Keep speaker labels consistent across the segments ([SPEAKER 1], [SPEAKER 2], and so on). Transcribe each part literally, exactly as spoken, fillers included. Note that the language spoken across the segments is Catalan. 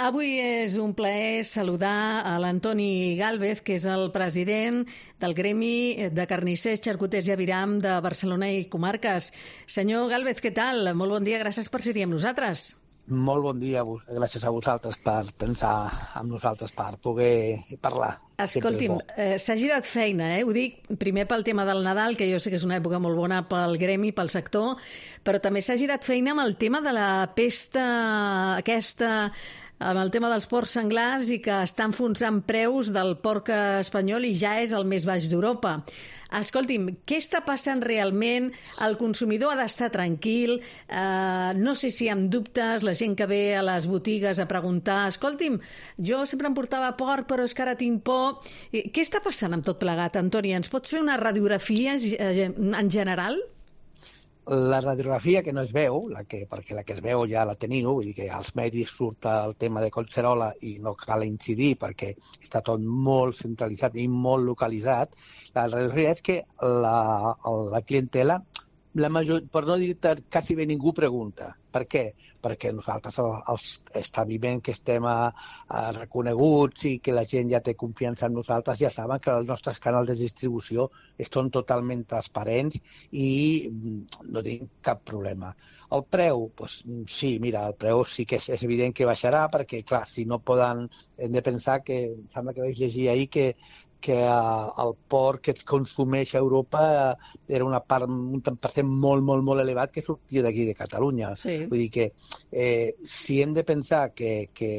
[SPEAKER 1] Avui és un plaer saludar a l'Antoni Gálvez, que és el president del Gremi de Carnissers, Xarcuters i Aviram de Barcelona i Comarques. Senyor Gálvez, què tal? Molt bon dia, gràcies per ser-hi amb nosaltres.
[SPEAKER 2] Molt bon dia, gràcies a vosaltres per pensar en nosaltres, per poder parlar.
[SPEAKER 1] Escolti'm, eh, s'ha girat feina, eh? Ho dic primer pel tema del Nadal, que jo sé que és una època molt bona pel gremi, pel sector, però també s'ha girat feina amb el tema de la pesta aquesta, amb el tema dels porcs senglars i que està enfonsant preus del porc espanyol i ja és el més baix d'Europa. Escolti'm, què està passant realment? El consumidor ha d'estar tranquil, eh, no sé si amb dubtes, la gent que ve a les botigues a preguntar, escolti'm, jo sempre em portava porc però és que ara tinc por. Què està passant amb tot plegat, Antoni? Ens pots fer una radiografia en general?
[SPEAKER 2] La radiografia que no es veu, la que, perquè la que es veu ja la teniu, vull dir que als medis surt el tema de Collserola i no cal incidir perquè està tot molt centralitzat i molt localitzat. La radiografia és que la, la clientela, la major, per no dir quasi bé ningú pregunta. Per què? Perquè nosaltres, els establiments que estem a, a reconeguts i que la gent ja té confiança en nosaltres, ja saben que els nostres canals de distribució són totalment transparents i no tenim cap problema. El preu, doncs, sí, mira, el preu sí que és, és evident que baixarà perquè, clar, si no poden, hem de pensar que, em sembla que vaig llegir ahir que que el porc que es consumeix a Europa era una part, un tant per cent molt, molt, molt elevat que sortia d'aquí de Catalunya.
[SPEAKER 1] Sí.
[SPEAKER 2] Vull dir que eh, si hem de pensar que, que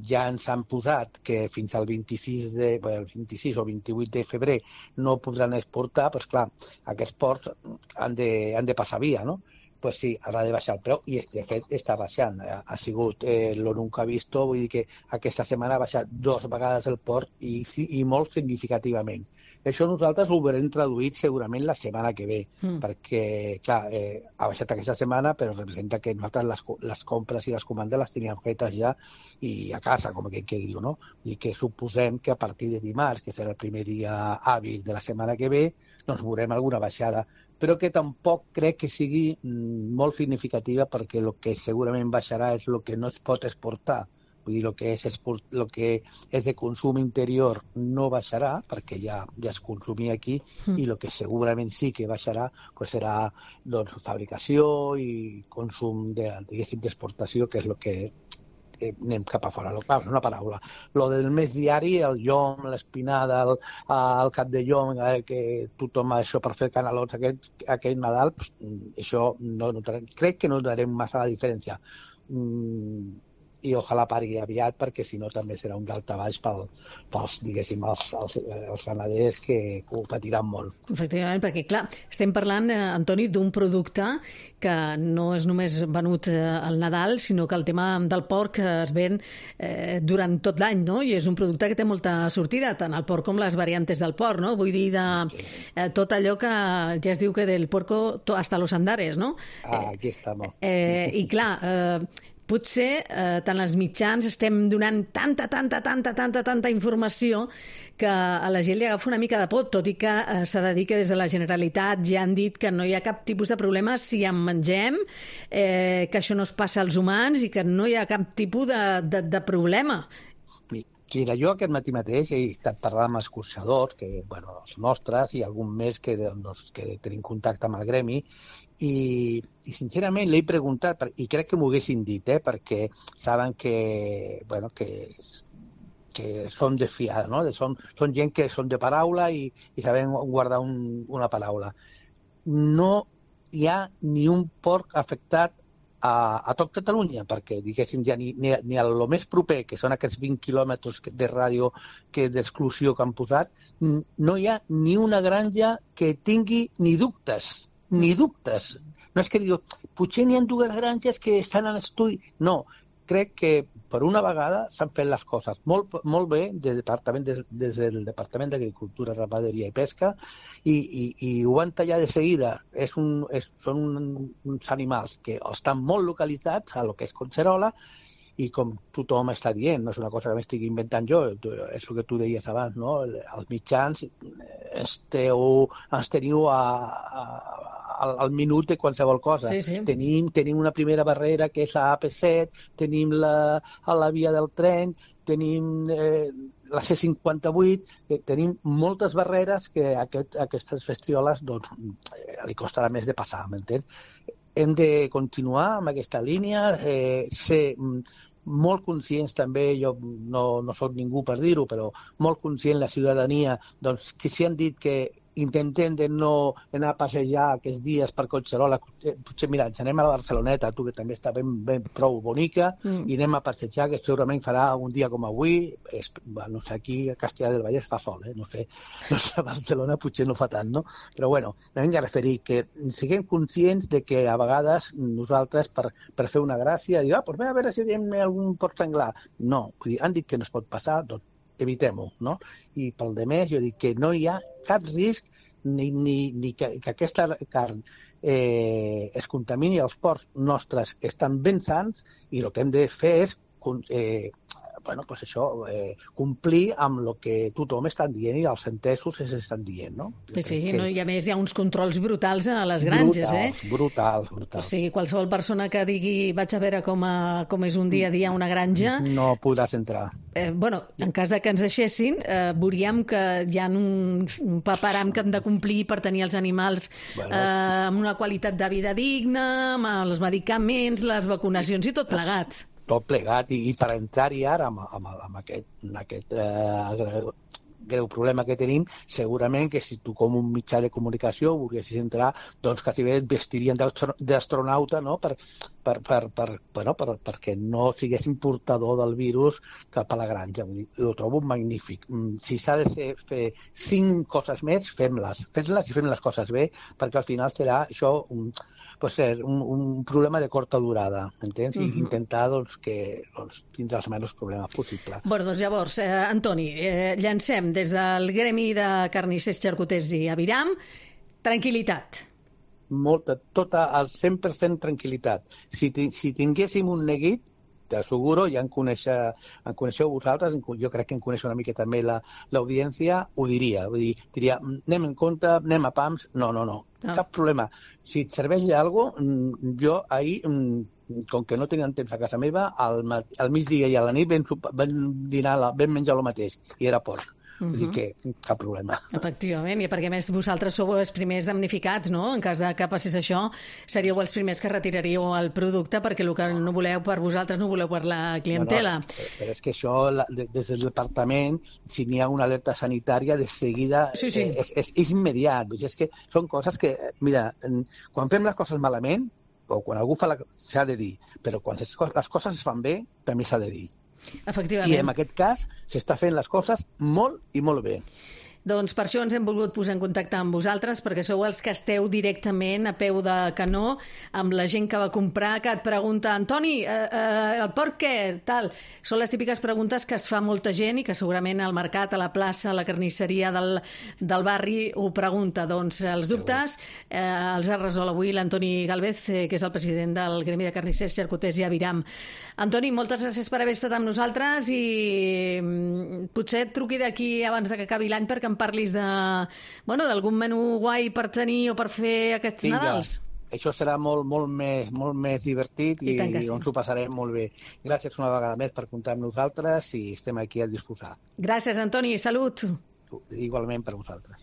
[SPEAKER 2] ja ens han posat que fins al vint-i-sis, de, el vint-i-sis o vint-i-vuit de febrer no podran exportar, doncs clar, aquests porcs han de, han de passar via, no? Pues sí, haurà de baixar el preu i de fet està baixant. Ha sigut eh, lo nunca visto, vull dir que aquesta setmana ha baixat dues vegades el porc i, i molt significativament. Això nosaltres ho haurem traduït segurament la setmana que ve, mm. perquè, clar, eh, ha baixat aquesta setmana, però representa que nosaltres les, les compres i les comandes les teníem fetes ja i a casa, com que, que diu, no? I que suposem que a partir de dimarts, que serà el primer dia hàbil de la setmana que ve, doncs veurem alguna baixada, però que tampoc crec que sigui molt significativa perquè el que segurament baixarà és el que no es pot exportar. Vull dir, el que és, el que és de consum interior no baixarà perquè ja, ja es consumia aquí mm. i el que segurament sí que baixarà pues serà doncs, fabricació i consum de, d'exportació, que és el que eh, anem cap a fora. Ah, una paraula. Lo del mes diari, el llom, l'espinada, el, el cap de llom, eh, que tothom això per fer canalons aquest, aquest Nadal, pues, això no notarem. Crec que no notarem massa la diferència. Mm, i ojalà pari aviat perquè si no també serà un daltabaix pel, pels, diguéssim, els, els, els ramaders que, que ho patiran molt.
[SPEAKER 1] Efectivament, perquè clar, estem parlant, eh, Antoni, d'un producte que no és només venut eh, al Nadal, sinó que el tema del porc es ven eh, durant tot l'any, no? I és un producte que té molta sortida, tant el porc com les variantes del porc, no? Vull dir, de, eh, tot allò que ja es diu que del porco hasta los andares, no?
[SPEAKER 2] Ah, aquí estamos.
[SPEAKER 1] Eh, I clar, eh, potser eh, tant els mitjans estem donant tanta, tanta, tanta, tanta, tanta informació que a la gent li agafa una mica de por, tot i que eh, s'ha de dir que des de la Generalitat ja han dit que no hi ha cap tipus de problema si en mengem, eh, que això no es passa als humans i que no hi ha cap tipus de, de, de problema.
[SPEAKER 2] Mira, jo aquest matí mateix he estat parlant amb escorxadors, que, bueno, els nostres i algun més que, doncs, que tenim contacte amb el gremi, i, i sincerament l'he preguntat, i crec que m'ho haguessin dit, eh, perquè saben que, bueno, que, que són de fiar, no? Són, són gent que són de paraula i, i saben guardar un, una paraula. No hi ha ni un porc afectat a, a tot Catalunya, perquè diguéssim ja ni, ni, ni a lo més proper, que són aquests vint quilòmetres de ràdio que d'exclusió que han posat, no hi ha ni una granja que tingui ni dubtes, ni dubtes. No és que diu, potser n'hi ha dues granges que estan en estudi. No, crec que per una vegada s'han fet les coses molt, molt bé des, departament, des, des del Departament d'Agricultura, Ramaderia i Pesca i, i, i ho van tallar de seguida. És un, és, són uns animals que estan molt localitzats a lo que és Collserola i com tothom està dient, no és una cosa que m'estic inventant jo, és el que tu deies abans, no? Els mitjans esteu, ens teniu a, a, al, al minut de qualsevol cosa.
[SPEAKER 1] Sí, sí.
[SPEAKER 2] Tenim, tenim una primera barrera que és la A P set, tenim la, la via del tren, tenim eh, la C cinquanta-vuit, que tenim moltes barreres que a aquest, a aquestes bestioles doncs, eh, li costarà més de passar, m'entens? Hem de continuar amb aquesta línia, eh, ser molt conscients també, jo no, no soc ningú per dir-ho, però molt conscient la ciutadania, doncs que si han dit que intentem de no anar a passejar aquests dies per Collserola, potser, mira, ens anem a la Barceloneta, tu que també està ben, ben prou bonica, mm. i anem a passejar, que segurament farà un dia com avui, és, no sé, aquí a Castellà del Vallès fa sol, eh? no sé, no sé, a Barcelona potser no fa tant, no? Però bueno, hem de referir que siguem conscients de que a vegades nosaltres, per, per fer una gràcia, dir, ah, doncs a veure si veiem algun port senglar. No, han dit que no es pot passar, doncs evitem-ho, no? I pel de més, jo dic que no hi ha cap risc ni, ni, ni que, que aquesta carn eh, es contamini. Els ports nostres estan ben sants i el que hem de fer és eh, bueno, pues això, eh, complir amb el que tothom està dient i els entesos es estan dient, no?
[SPEAKER 1] Sí, sí, que... no, i a més hi ha uns controls brutals a les granges,
[SPEAKER 2] brutals,
[SPEAKER 1] eh?
[SPEAKER 2] Brutals, brutals.
[SPEAKER 1] O sigui, qualsevol persona que digui vaig a veure com, a, com és un dia a dia a una granja...
[SPEAKER 2] No podràs entrar.
[SPEAKER 1] Eh, bueno, en cas de que ens deixessin, eh, veuríem que hi ha un, un paperam que hem de complir per tenir els animals bueno. eh, amb una qualitat de vida digna, amb els medicaments, les vacunacions i tot plegat.
[SPEAKER 2] Tot plegat, i, i per entrar-hi ara amb, amb, amb aquest, amb aquest eh, greu problema que tenim, segurament que si tu com un mitjà de comunicació volguessis entrar, doncs quasi bé et vestirien d'astronauta, no? per, per, per, per, bueno, per, perquè no siguessin portador del virus cap a la granja. Vull dir, ho trobo magnífic. Si s'ha de ser, fer cinc coses més, fem-les. Fem-les i fem les coses bé, perquè al final serà això un, pues, un, un problema de curta durada, entens? I uh-huh. intentar doncs, que doncs, tindre els menys problemes possibles.
[SPEAKER 1] Bueno, doncs llavors, eh, Antoni, eh, llancem des del gremi de carnissers, xarcuters i aviram, tranquil·litat.
[SPEAKER 2] Molta, tota, al cent per cent tranquil·litat. Si, si tinguéssim un neguit, t'asseguro, ja en, conèixer, en coneixeu vosaltres, jo crec que en coneix una mica també l'audiència, ho diria. Vull dir, diria, anem en compte, anem a pams, no, no, no, no. Cap problema. Si et serveix alguna cosa, jo ahir, com que no tenien temps a casa meva, al, al migdia i a la nit vam, vam dinar, vam menjar el mateix, i era porc. Vull dir que cap problema.
[SPEAKER 1] Efectivament, i perquè a més vosaltres sou els primers damnificats, no? En cas de que passés això, seríeu els primers que retiraríeu el producte perquè el que no voleu per vosaltres no voleu per la clientela.
[SPEAKER 2] Bueno, però és que això, des del departament, si n'hi ha una alerta sanitària, de seguida sí, sí. És, és, és immediat. Vull dir, és que són coses que, mira, quan fem les coses malament, o quan algú fa la... s'ha de dir, però quan les coses es fan bé, també s'ha de dir.
[SPEAKER 1] Efectivament.
[SPEAKER 2] I en aquest cas s'està fent les coses molt i molt bé.
[SPEAKER 1] Doncs per això ens hem volgut posar en contacte amb vosaltres, perquè sou els que esteu directament a peu de canó amb la gent que va comprar, que et pregunta, Antoni, eh, eh, el porc què? Tal. Són les típiques preguntes que es fa molta gent i que segurament al mercat, a la plaça, a la carnisseria del, del barri ho pregunta. Doncs els dubtes eh, els ha resolt avui l'Antoni Galvez, eh, que és el president del Gremi de Carnissers, Xarcuters i Aviram. Antoni, moltes gràcies per haver estat amb nosaltres i mm, potser et truqui d'aquí abans de que acabi l'any perquè em parlis de, bueno, d'algun menú guai per tenir o per fer aquests
[SPEAKER 2] Vinga.
[SPEAKER 1] Nadals.
[SPEAKER 2] Això serà molt, molt, més, molt més divertit i, i, i on s'ho passarem molt bé. Gràcies una vegada més per comptar amb nosaltres i estem aquí a disposar.
[SPEAKER 1] Gràcies, Antoni. Salut.
[SPEAKER 2] Igualment per vosaltres.